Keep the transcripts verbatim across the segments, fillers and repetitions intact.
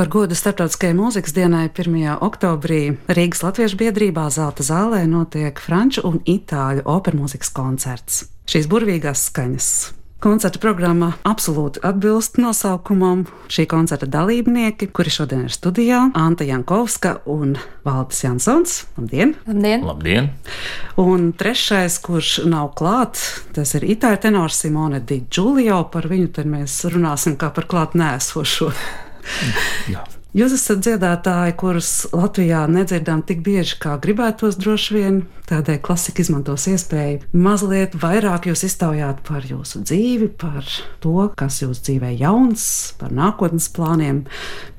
Par godu Starptautiskajai mūzikas dienai pirmajā oktobrī Rīgas Latviešu biedrībā Zelta zālē notiek franču un itāļu opermūzikas koncerts. Šīs burvīgās skaņas. Koncerta programma absolūti atbilst nosaukumam. Šī koncerta dalībnieki, kuri šodien ir studijā, Anta Jankovska un Valdis Jansons. Labdien! Labdien! Labdien. Un trešais, kurš nav klāt, tas ir itāļu tenors Simone Di Giulio. Par viņu tad mēs runāsim kā par klāt nēsošo. Jā. Jūs esat dziedātāji, kurus Latvijā nedzirdām tik bieži, kā gribētos droši vien. Tādēļ klasika izmantos iespēju mazliet vairāk jūs iztaujāt par jūsu dzīvi, par to, kas jūsu dzīvē jauns, par nākotnes plāniem.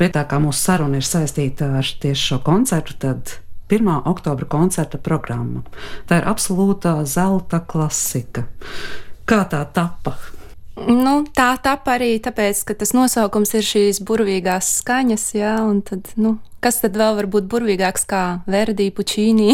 Bet tā kā mūsu saruna ir saistīta ar tieši šo koncertu, tad pirmā oktobra koncerta programma. Tā ir absolūtā zelta klasika. Kā tā tapa? Nu, tā tapa arī tāpēc, ka tas nosaukums ir šīs burvīgās skaņas, jā, un tad, nu, kas tad vēl var būt burvīgāks kā Verdi, Puccini,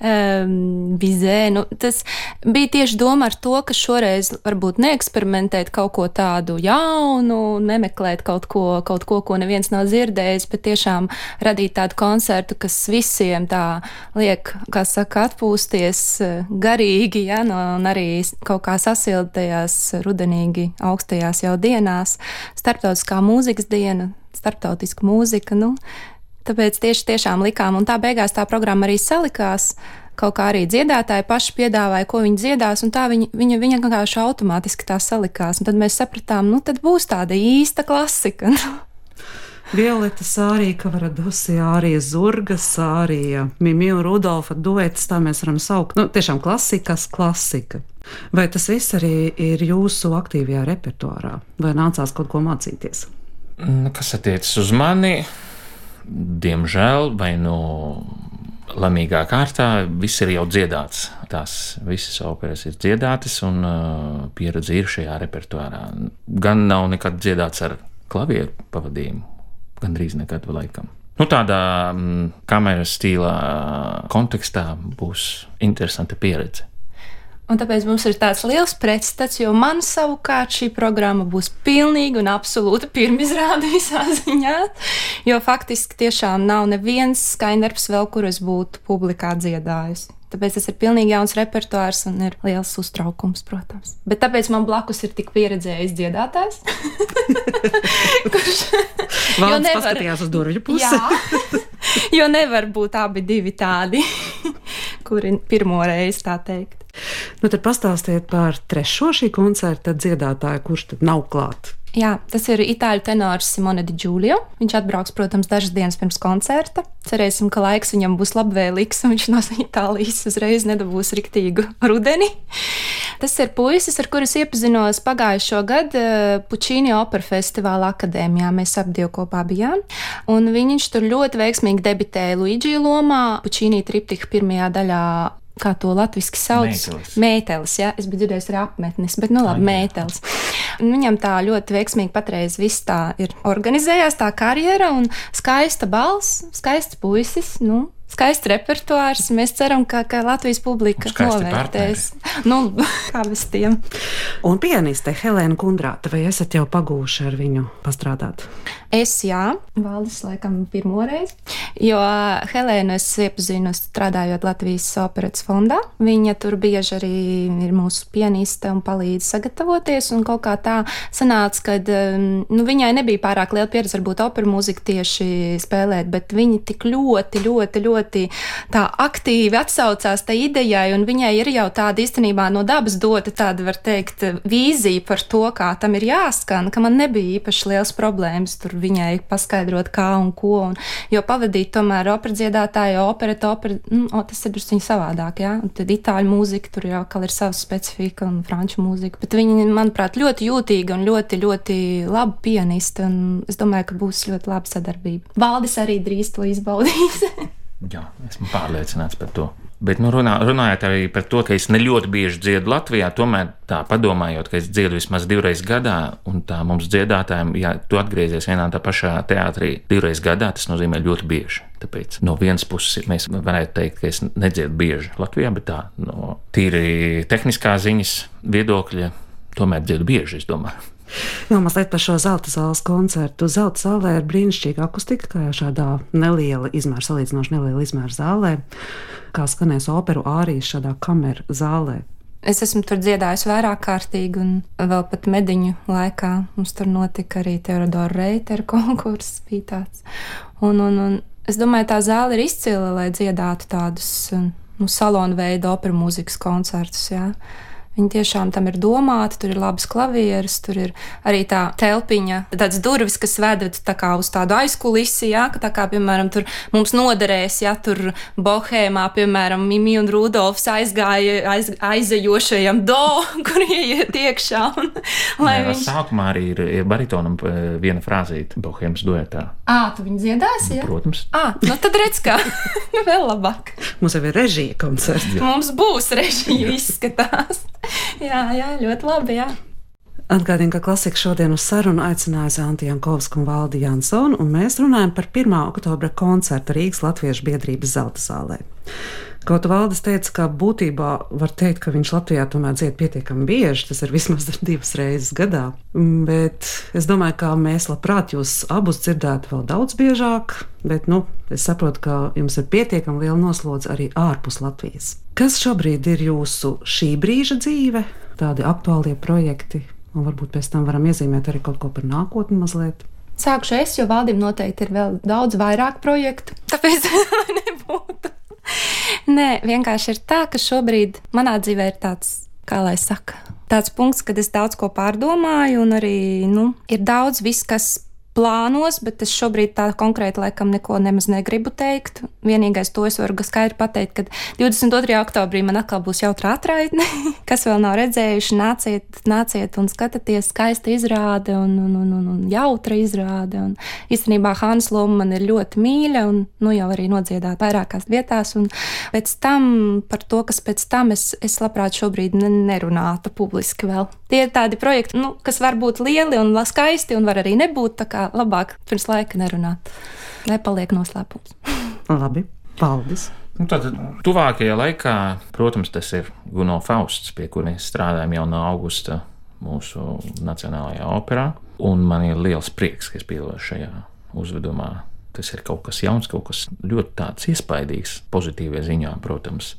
um, Bizē. Nu, tas bija tieši doma ar to, ka šoreiz varbūt neeksperimentēt kaut ko tādu jaunu, nemeklēt kaut ko, kaut ko, ko neviens nav dzirdējis, bet tiešām radīt tādu koncertu, kas visiem tā liek, kā saka, atpūsties garīgi, ja, no, un arī kaut kā sasildt tajās rudenīgi augstajās jau dienās. Starptautiskā mūzikas diena, starptautiska mūzika, nu, tāpēc tieši tiešām likām, un tā beigās tā programma arī salikās, kaut kā arī dziedātāji paši piedāvāja, ko viņi dziedās, un tā viņa, viņa, viņa vienkārši automātiski tā salikās, un tad mēs sapratām, nu, tad būs tāda īsta klasika. Violeta Sārija, Kavaradusi, Ārija Zurga, Sārija, Mimiju Rudolfa duets, tā mēs varam saukt. Nu, tiešām klasikas klasika. Vai tas viss arī ir jūsu aktīvajā repertuārā? Vai nācās kaut ko mācīties? Kas attiecas uz mani, diemžēl, vai no lamīgā kārtā, viss ir jau dziedāts. Tās visas operas ir dziedātas un uh, pieredze ir šajā repertuārā. Gan nav nekad dziedāts ar klavieru pavadījumu, gandrīz nekad laikam. Nu, tādā mm, kameras stīlā kontekstā būs interesanta pieredze. Un tāpēc mums ir tāds liels pretstats, jo man savukārt šī programma būs pilnīgi un absolūti pirmizrāde visā ziņā, jo faktiski tiešām nav neviens skaņdarbs vēl, kur es būtu publikā dziedājusi. Tāpēc tas ir pilnīgi jauns repertuārs un ir liels uztraukums, protams. Bet tāpēc man blakus ir tik pieredzējis dziedātājs. Kurš... Valds nevar... paskatījās uz durvju pusi. Jā, jo nevar būt abi divi tādi, kuri pirmo reizi tā teikt. Nu, tad pastāstiet par trešo šī koncerta dziedātāju, kurš tad nav klāt. Jā, tas ir itāļu tenors Simone Di Giulio. Viņš atbrauks, protams, dažas dienas pirms koncerta. Cerēsim, ka laiks viņam būs labvēlīgs un viņš no Itālijas uzreiz nedabūs riktīgu rudeni. Tas ir puisis, ar kuru es iepazinos pagājušo gadu Puccini opera festivāla akadēmijā. Mēs ap divi kopā bijām. Un viņš tur ļoti veiksmīgi debitēja Luigi lomā. Puccini triptiha pirmajā daļā, kā to latviski sauc? Mētelis. Mētelis, jā. Es biju dzirdējis arī apmetnis, bet nu labi, mētelis. Viņam tā ļoti veiksmīgi patreiz viss tā ir organizējās, tā karjera un skaista balss, skaists puisis, nu, skaists repertuārs. Mēs ceram, ka, ka Latvijas publika novērtēs. Nu, kā bez tiem. Un pianiste Helēna Kundrāta, vai esat jau pagūši ar viņu pastrādāt? Es jā, Valdis laikam pirmoreiz, jo Helēnu es iepazinu strādājot Latvijas operetes fondā. Viņa tur bieži arī ir mūsu pianiste un palīdz sagatavoties, un kaut kā tā sanāca, ka nu, viņai nebija pārāk liela pieredze varbūt operu mūziku tieši spēlēt, bet viņa tik ļoti, ļoti, ļoti tā aktīvi atsaucās tai idejai, un viņai ir jau tāda īstenībā no dabas dota tāda, var teikt, vīzija par to, kā tam ir jāskan, ka man nebija īpaši liels problēmas tur viņai paskaidrot kā un ko, un, jo pavadīt tomēr opera dziedātāju, opereta, opera, nu, o, tas ir drusku savādāk, jā, un tad itāļu mūzika, tur jau kā ir savas specifika un franču mūzika, bet viņa, manuprāt, ļoti jūtīga un ļoti, ļoti laba pianiste, un es domāju, ka būs ļoti laba sadarbība. Valdis arī drīz to izbaudīs. Jā, esmu pārliecināts par to. Bet nu, runā, runājot arī par to, ka es ne ļoti bieži dziedu Latvijā, tomēr tā padomājot, ka es dziedu vismaz divreiz gadā, un tā mums dziedātājiem, ja tu atgriezies vienā tā pašā teātrī divreiz gadā, tas nozīmē ļoti bieži. Tāpēc no vienas puses mēs varētu teikt, ka es nedziedu bieži Latvijā, bet tā no tīri tehniskā ziņas viedokļa tomēr dziedu bieži, es domāju. Jā, mazliet par šo Zelta zāles koncertu. Zelta zālē ir brīnišķīga akustika, kā jau šādā neliela izmēra, salīdzinoši neliela izmēra zālē, kā skanēs operu ārijas šādā kameru zālē. Es esmu tur dziedājusi vairāk kārtīgi, un vēl pat mediņu laikā mums tur notika arī Teodora Reitera konkurss bija tāds. Un, un, un es domāju, tā zāle ir izcila, lai dziedātu tādus nu, salonu veidu operu mūzikas koncertus, jā. Viņi tiešām tam ir domāti, tur ir labas klavieres, tur ir arī tā telpiņa, tāds durvis, kas vedat tā kā uz tādu aizkulisi, jā, ka tā kā, piemēram, tur mums noderēs, jā, tur Bohēmā, piemēram, Mimi un Rudolfs aizgāja aiz, aizejošajam do, kur ieiet iekšā. Un, lai Jā, viņš... Sākumā arī ir, ir baritonam viena frāzīte Bohēmas duetā. Ā, tu viņu dziedāsi, jā? Protams. Ā, nu tad redz kā, vēl labāk. Mums jau ir režija koncerts. Mums būs režija, izskatās. Jā, jā, ļoti labi, jā. Atgādinu, ka Klasika šodien uz sarunu aicināja Zanti Jankovsku un Valdi Jansonu, un mēs runājam par pirmā oktobra koncertu Rīgas Latviešu biedrības Zelta zālē. Kaut Valdis teica, ka būtībā var teikt, ka viņš Latvijā tomēr dzied pietiekami bieži, tas ir vismaz divas reizes gadā, bet es domāju, ka mēs labprāt jūs abus dzirdētu vēl daudz biežāk, bet, nu, es saprotu, ka jums ir pietiekami liela noslodze arī ārpus Latvijas. Kas šobrīd ir jūsu šī brīža dzīve, tādi aktuālie projekti, un varbūt pēc tam varam iezīmēt arī kaut ko par nākotni mazliet? Sākšu es, jo Valdim noteikti ir vēl daudz vairāk projektu, tāpēc nebūtu. Nē, vienkārši ir tā, ka šobrīd manā dzīvē ir tāds, kā lai saka, tāds punkts, kad es daudz ko pārdomāju, un arī, nu, ir daudz viss, kas plānos, bet es šobrīd tā konkrēti laikam neko nemaz negribu teikt. Vienīgais to es varu skaidri pateikt, ka divdesmit otrajā oktobrī man atkal būs jautra atraitne, kas vēl nav redzējuši, nāciet, nāciet un skatieties, skaista izrāde un, un, un, un, un jautra izrāde. Un īstenībā Hānas loma man ir ļoti mīļa un nu jau arī nodziedāt vairākās vietās, un pēc tam par to, kas pēc tam es, es labprāt šobrīd nerunātu publiski vēl. Tie ir tādi projekti, nu, kas var būt lieli un skaisti un var arī nebūt, tā kā labāk pirms laika nerunāt, lai paliek noslēpums. Labi, paldies! Nu, tad tuvākajā laikā, protams, tas ir Guno Fausts, pie kur mēs strādājam jau no augusta mūsu Nacionālajā operā, un man ir liels prieks, ka es piedalos šajā uzvedumā. Tas ir kaut kas jauns, kaut kas ļoti tāds iespaidīgs, pozitīvie ziņā, protams.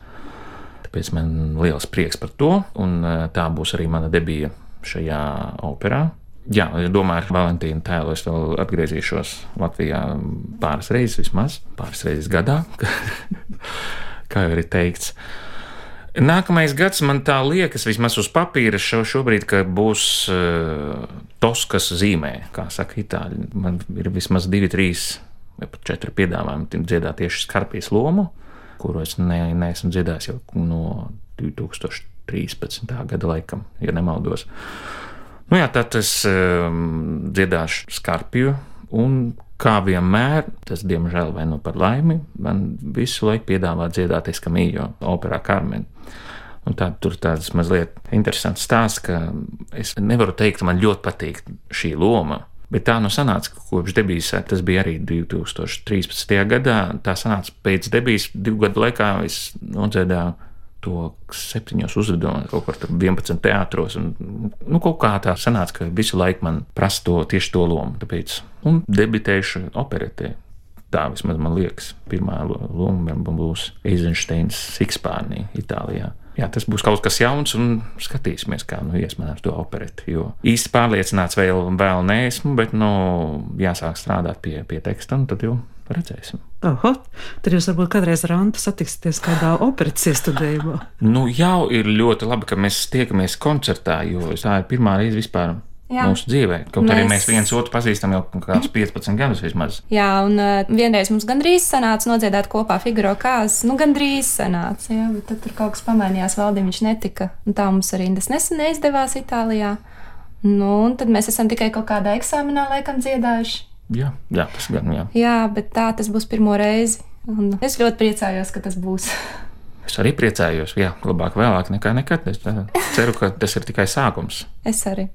Tāpēc man liels prieks par to, un tā būs arī mana debija šajā operā. Jā, es domāju, ar Valentīnu tēlu es vēl atgriezīšos Latvijā pāris reizes vismaz, pāris reizes gadā, kā jau ir teikts. Nākamais gads man tā liekas, vismaz uz papīra šo, šobrīd, ka būs uh, Toskas zīmē, kā saka itāļi. Man ir vismaz divi, trīs vai pat četri piedāvājumi dziedāt tieši Skarpijas lomu, kuru es ne, neesmu dziedājis jau no divi tūkstoši trīspadsmitā gada laikam, ja nemaldos. Nu jā, tad es um, dziedāšu Skarpiju, un kā vienmēr, tas diemžēl vai nu par laimi, man visu laiku piedāvā dziedāt Eskamiljo operā Carmen. Un tā, tur tāds mazliet interesants stāsts, ka es nevaru teikt, ka man ļoti patīk šī loma, bet tā nu sanāca, ka kopš debijas, tas bija arī divi tūkstoši trīspadsmitajā gadā, tā sanāca pēc debijas divu gadu laikā es nodziedāju to septiņos uzvedumos, kaut kur vienpadsmit teātros, un nu, kaut kā tā sanāca, ka visu laiku man prasa to, tieši to lomu, tāpēc, un debitējuši operetē. Tā vismaz man liekas, pirmā loma būs Eizensteins Sikspārnī, Itālijā. Jā, tas būs kaut kas jauns, un skatīsimies, kā nu ies man ar to opereti, jo īsti pārliecināts vēl, vēl neesmu, bet, nu, jāsāk strādāt pie, pie teksta, un tad jau redzēsim. Oho, tad jūs varbūt kādreiz ar Antu satiksieties kādā operetes iestudējumā. Nu, jau ir ļoti labi, ka mēs tiekamies koncertā, jo tā ir pirmā reize vispār Jā. Mūsu dzīvē. Kaut mēs... arī mēs viens otru pazīstam jau kādus piecpadsmit gadus vismaz. Jā, un uh, vienreiz mums gandrīz sanāca nodziedāt kopā Figaro kāzas, nu gandrīz sanāca, jā, bet tad tur kaut kas pamainījās, Valdim viņš netika, un tā mums arī tas nesen neizdevās Itālijā. Nu, un tad mēs esam tikai kaut kādā eksāmenā laikam dziedājuši. Jā, jā, tas gan, jā. Jā, bet tā tas būs pirmo reizi, un es ļoti priecājos, ka tas būs. Es arī priecājos, jā, labāk vēlāk nekā nekad. Es ceru, ka tas ir tikai sākums. Es arī.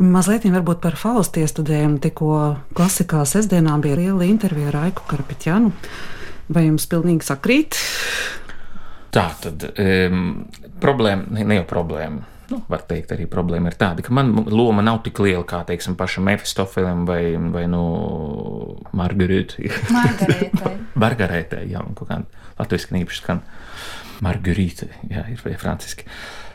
Mazliet varbūt par Faustu iestudējumu. Tikko Klasikā sestdienā bija liela intervija ar Aiku Karapetjanu. Vai jums pilnīgi sakrīt? Tā tad um, problēma, ne, ne jau problēma. Nu, var teikt, arī problēma ir tāda, ka man loma nav tik liela kā, teiksim, pašam Mefistofelim vai, vai nu, Margarītai. Margarītai. Margarītai, jā, kaut kā latviski nīpaši skan. Margarītai, jā, ir vai franciski.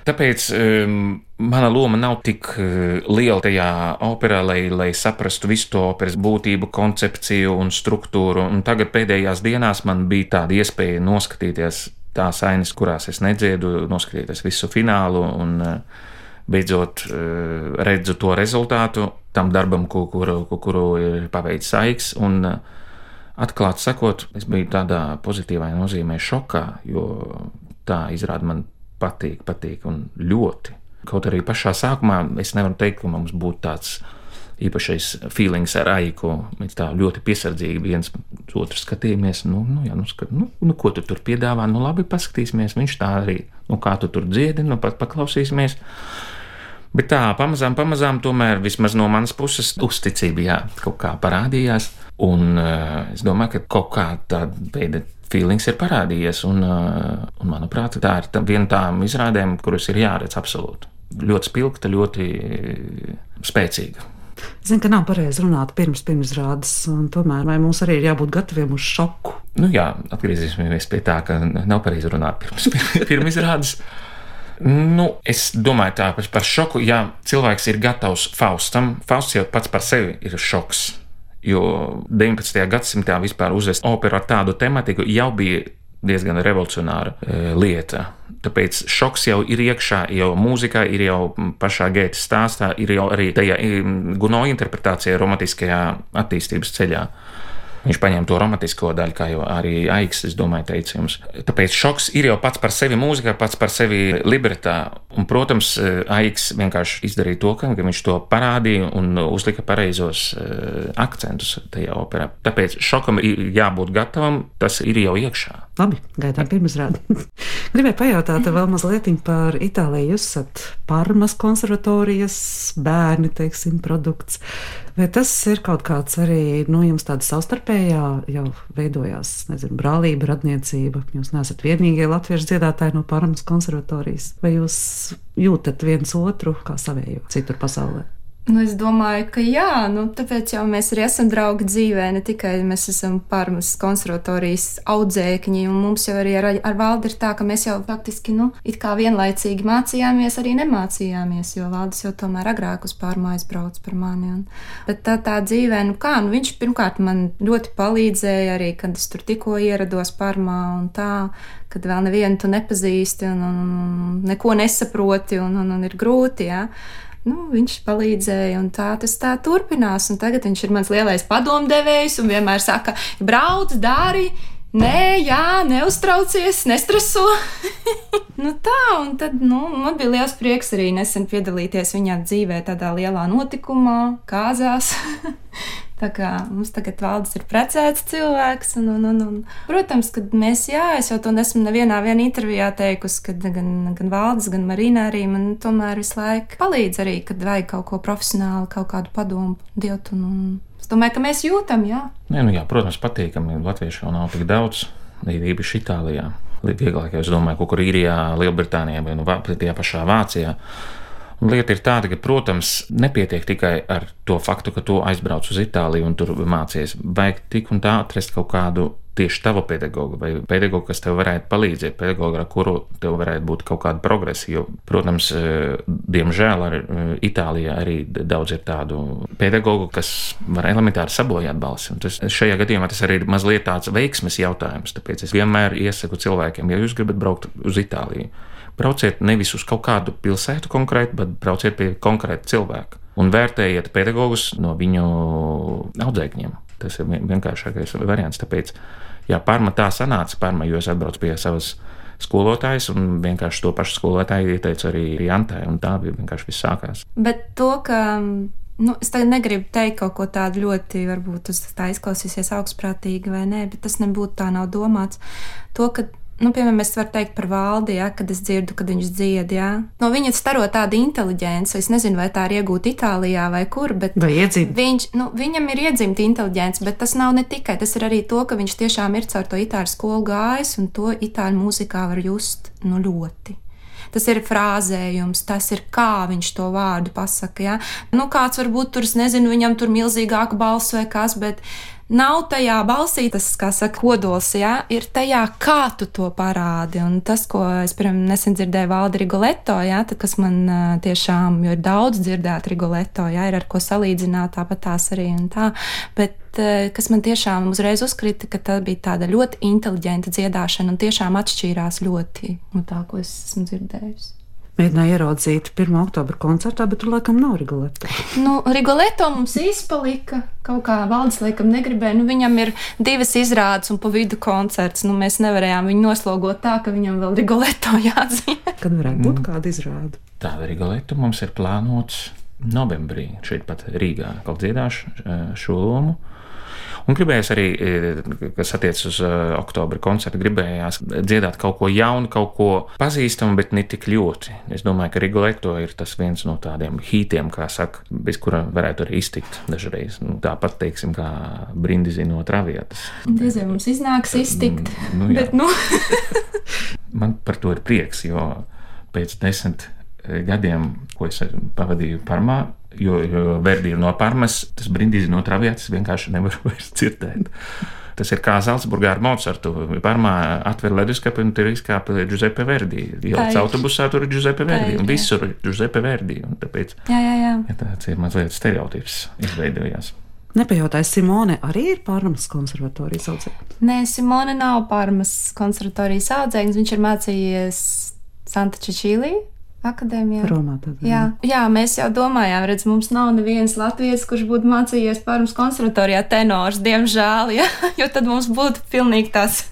Tāpēc um, mana loma nav tik uh, liela tajā operā, lai, lai saprastu visu to operas būtību, koncepciju un struktūru. Un tagad pēdējās dienās man bija tāda iespēja noskatīties tās ainas, kurās es nedziedu, noskatīties visu finālu un beidzot redzu to rezultātu tam darbam, kuru, kuru ir paveicis Aiks. Un atklāti sakot, es biju tādā pozitīvā nozīmē šokā, jo tā izrāda man patīk, patīk un ļoti. Kaut arī pašā sākumā es nevaru teikt, ka mums būtu tāds īpašais feelings ar Aiku. Mēs tā ļoti piesardzīgi viens otru skatījāmies. Nu, nu, jā, nu, skat, nu, nu, ko tu tur piedāvā? Nu, labi, paskatīsimies. Viņš tā arī, nu, kā tu tur dziedi, nu, pat paklausīsimies. Bet tā, pamazām, pamazām, tomēr vismaz no manas puses uzticība, jā, kaut kā parādījās. Un uh, es domāju, ka kaut kā tāda veida feelings ir parādījies. Un, uh, un manuprāt, tā ir tā, viena tām izrādēm, kuras ir jāredz absolūti. Ļoti spilgta, ļoti spēcīga. Zinu, ka nav pareizi runāt pirms pirmizrādes, un tomēr vai mums arī ir jābūt gataviem uz šoku? Nu jā, atgriezīsimies pie tā, ka nav pareizi runāt pirms pirmizrādes. Nu, es domāju tā par šoku, ja cilvēks ir gatavs Faustam, Fausts jau pats par sevi ir šoks, jo deviņpadsmitajā gadsimtā vispār uzvest operu ar tādu tematiku jau bija diezgan revolucionāra e, lieta. Tāpēc šoks jau ir iekšā, jau mūzikā, ir jau pašā Gētas stāstā, ir jau arī tajā Gounod interpretācijā romantiskajā attīstības ceļā. Viņš paņēma to romantisko daļu, kā jau arī Aiks, es domāju, teica jums. Tāpēc šoks ir jau pats par sevi mūzikā, pats par sevi libretā. Un, protams, Aiks vienkārši izdarīja to, ka viņš to parādīja un uzlika pareizos akcentus tajā operā. Tāpēc šokam ir jābūt gatavam, tas ir jau iekšā. Labi, gaidām pirmizrādi. Gribēju pajautāt vēl mazliet par Itāliju. Jūs esat Parmas konservatorijas bērni, teiksim, produkts. Vai tas ir kaut kāds arī, nu, jums tāda savstarpējā jau veidojās, nezinu, brālība, radniecība? Jūs neesat vienīgie latviešu dziedātāji no Parmas konservatorijas. Vai jūs jūtat viens otru kā savējo citur pasaulē? Nu, es domāju, ka jā, nu, tāpēc jau mēs arī esam draugi dzīvē, ne tikai mēs esam Parmas konservatorijas audzēkņi, un mums jau arī ar, ar Valdi ir tā, ka mēs jau faktiski, nu, it kā vienlaicīgi mācījāmies, arī nemācījāmies, jo Valdis jau tomēr agrāk uz Parmu aizbrauc par mani. Un, bet tā tā dzīvē, nu kā, nu viņš pirmkārt man ļoti palīdzēja arī, kad es tur tikko ierados Parmā un tā, kad vēl nevienu tu nepazīsti un, un, un neko nesaproti un, un, un ir grūti, jā. Nu, viņš palīdzēja, un tā tas tā turpinās. Un tagad viņš ir mans lielais padomdevējs un vienmēr saka, brauc, dari, nē, jā, neuztraucies, nestreso. Nu tā, un tad, nu, man bija liels prieks arī nesen piedalīties viņā dzīvē tādā lielā notikumā, kāzās. Tā kā mums tagad Valdis ir precēts cilvēks, un, un, un, un protams, kad mēs, jā, es jau to nesmu nevienā vien intervijā teikusi, kad gan, gan Valdis, gan Marina arī man tomēr visu laiku palīdz arī, kad vajag kaut ko profesionāli, kaut kādu padomu dot, un, un es domāju, ka mēs jūtam, jā. Nē, nu jā, protams, patīkami, latviešu jau nav tik daudz, īpaši Itālijā, vieglāk, es domāju, kaut kur Īrijā, Lielbritānijā vai nu tajā pašā Vācijā. Un lieta ir tāda, ka, protams, nepietiek tikai ar to faktu, ka tu aizbrauc uz Itāliju un tur mācies. Vajag tik un tā atrast kaut kādu tieši tavu pedagogu vai pedagogu, kas tev varētu palīdzēt, pedagogu, ar kuru tev varētu būt kaut kāda progresa. Jo, protams, diemžēl ar Itālijā arī daudz ir tādu pedagogu, kas var elementāri sabojāt balsi. Un tas, šajā gadījumā tas arī ir mazliet tāds veiksmes jautājums. Tāpēc es vienmēr iesaku cilvēkiem, ja jūs gribat braukt uz Itāliju, brauciet nevis uz kaut kādu pilsētu konkrēti, bet brauciet pie konkrēta cilvēka un vērtējiet pedagogus no viņu audzēkņiem. Tas ir vienkāršākais variants. Tāpēc, jā, Parma tā sanāca, Parma, jo es atbraucu pie savas skolotājas un vienkārši to pašu skolotāju ieteicu arī Jantai, un tā bija vienkārši viss sākās. Bet to, ka, nu, es tagad negribu teikt kaut ko tādu ļoti, varbūt tas tā izklausīsies augstprātīgi vai nē, bet tas nebūtu tā nav domāts. To, ka nu, piemēram, es varu teikt par Valdi, ja, kad es dzirdu, kad viņš dzied, ja. No viņa staro tāda inteliģence, es nezinu, vai tā ir iegūta Itālijā vai kur, bet viņš, nu, viņam ir iedzimta inteliģence, bet tas nav ne tikai, tas ir arī to, ka viņš tiešām ir caur to itāļu skolu gājis, un to itāļu mūzikā var just, nu, ļoti. tas ir frāzējums, tas ir kā viņš to vārdu pasaka. Ja? Nu, kāds varbūt tur, es nezinu, viņam tur milzīgāka balss vai kas, bet nav tajā balsī tas, kā saka, kodols, ja? Ir tajā, kā tu to parādi. Un tas, ko es, piemēram, nesen dzirdēju Valdi Rigoletto, ja? Tad, kas man tiešām, jo ir daudz dzirdēt Rigoletto, ja? Ir ar ko salīdzināt, tāpat tās arī un tā, bet kas man tiešām uzreiz uzkrita, ka tā bija tāda ļoti inteliģenta dziedāšana un tiešām atšķīrās ļoti no tā, ko es esmu dzirdējusi. Mēģināju ieraudzīt pirmā oktobra koncertā, bet tur laikam nav Rigoletto. Nu, Rigoletto mums izpalika, kaut kā Valdis laikam negribēja, nu viņam ir divas izrādes un pa vidu koncerts, nu mēs nevarējām viņu noslogot tā, ka viņam vēl Rigoletto jāatzīmē. Kad varētu būt kāda izrāde? Tāda Rigoletto mums ir plānots novembrī, šeit pat Rīgā, kaut dziedāšu šo lomu. Un gribējās arī, kas attiec uz oktobra koncertu, gribējās dziedāt kaut ko jaunu, kaut ko pazīstamu, bet ne tik ļoti. Es domāju, ka Rigoletto ir tas viens no tādiem hītiem, kā saka, bez kura varētu arī iztikt dažreiz. Nu, tāpat, teiksim, kā Brindisi no Travietas. Diez vai mums iznāks iztikt, nu, bet nu... Man par to ir prieks, jo pēc desmit gadiem, ko es pavadīju Parmā, Jo, jo Verdi ir no Parmas, tas Brindisi no Travietas vienkārši nevar vairs dzirdēt. Tas ir kā Zalcburgā ar Mozartu. Parmā atver leduskapi un tur izkāpa Giuseppe Verdi. Ielāc autobusā, tur ir Giuseppe Verdi. Un visur ir Giuseppe Verdi. Un tāpēc jā, jā, jā. Ja tāds ir mazliet stereotips izveidojās. Nepajautāju, Simone arī ir Parmas konservatorijas audzēknis? Nē, Simone nav Parmas konservatorijas audzēknis. Viņš ir mācījies Santa Cecīlī akadēmijā. Romā tad. Jā, jā, mēs jau domājām, redz, mums nav neviens latvietis, kurš būtu mācījies Parmas konservatorijā tenors, diemžēl, ja? Jo tad mums būtu pilnīgi tās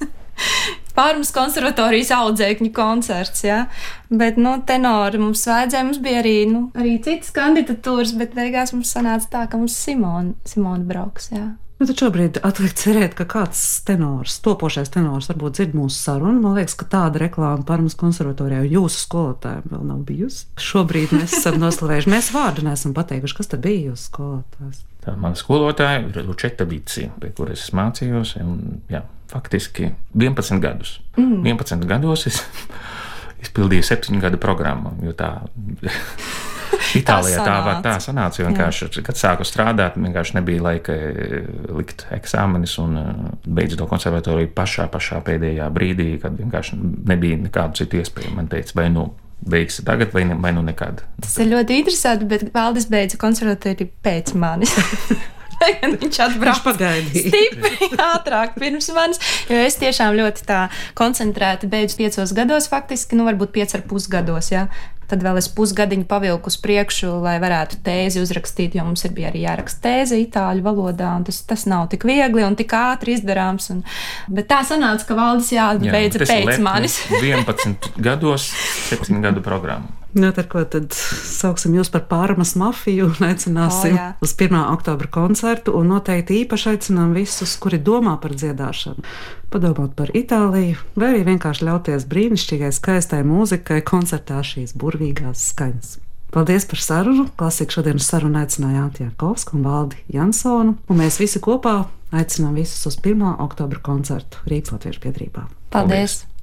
Parmas konservatorijas audzēkņu koncerts, ja? Bet, nu, tenori mums vajadzēja, mums bija arī, nu, arī citas kandidatūras, bet beigās mums sanāca tā, ka mums Simona, Simona brauks, jā. Nu, tad šobrīd atliek cerēt, ka kāds tenors, topošais tenors varbūt dzird mūsu sarunu. Man liekas, ka tāda reklāma Parmas konservatorijā jūsu skolotājiem vēl nav bijusi. Šobrīd mēs esam noslavējuši. Mēs vārdu neesam pateikuši, kas tad bija jūsu skolotājs. Tā mana skolotāja ir Lučeta Bici, pie kuras es mācījos. Un, jā, faktiski vienpadsmit gadus. Mm. vienpadsmit gados es izpildīju septiņu gadu programmu, jo tā... Itālijā tā, tā, tā sanāca, jo vienkārši, kad sāku strādāt, vienkārši nebija laika likt eksāmenis un beidzu to konservatoriju pašā, pašā pēdējā brīdī, kad vienkārši nebija nekādu citu iespēju. Man teica, vai nu beigsi tagad, vai, ne, vai nu nekad. Tas ir ļoti interesanti, bet Valdis beidza konservatoriju pēc manis. Viņš atbrauc stipri ātrāk pirms manis, jo es tiešām ļoti tā koncentrēti beidzu piecos gados faktiski, nu varbūt piec ar pusgados, jā. Tad vēl es pusgadiņu pavilku uz priekšu, lai varētu tēzi uzrakstīt, jo mums ir bija arī jāraksta tēze itāļu valodā, un tas, tas nav tik viegli un tik ātri izdarāms. Un, bet tā sanāca, ka Valdis jābeidza pēc manis. vienpadsmit gados, septiņu gadu programmu. Nu, ar ko tad sauksim jūs par Parmas mafiju un aicināsim oh, uz pirmā oktobra koncertu, un noteikti īpaši aicinām visus, kuri domā par dziedāšanu, padomāt par Itāliju, vai arī vienkārši ļauties brīnišķīgai, skaistai mūzikai koncertā šīs burvīgās skaņas. Paldies par sarunu. Klasika šodienas sarunu aicināja Ātija Kovska un Valdi Jansonu, un mēs visi kopā aicinām visus uz pirmā oktobra koncertu Rīgas Latviešu biedrībā. Paldies! Paldies.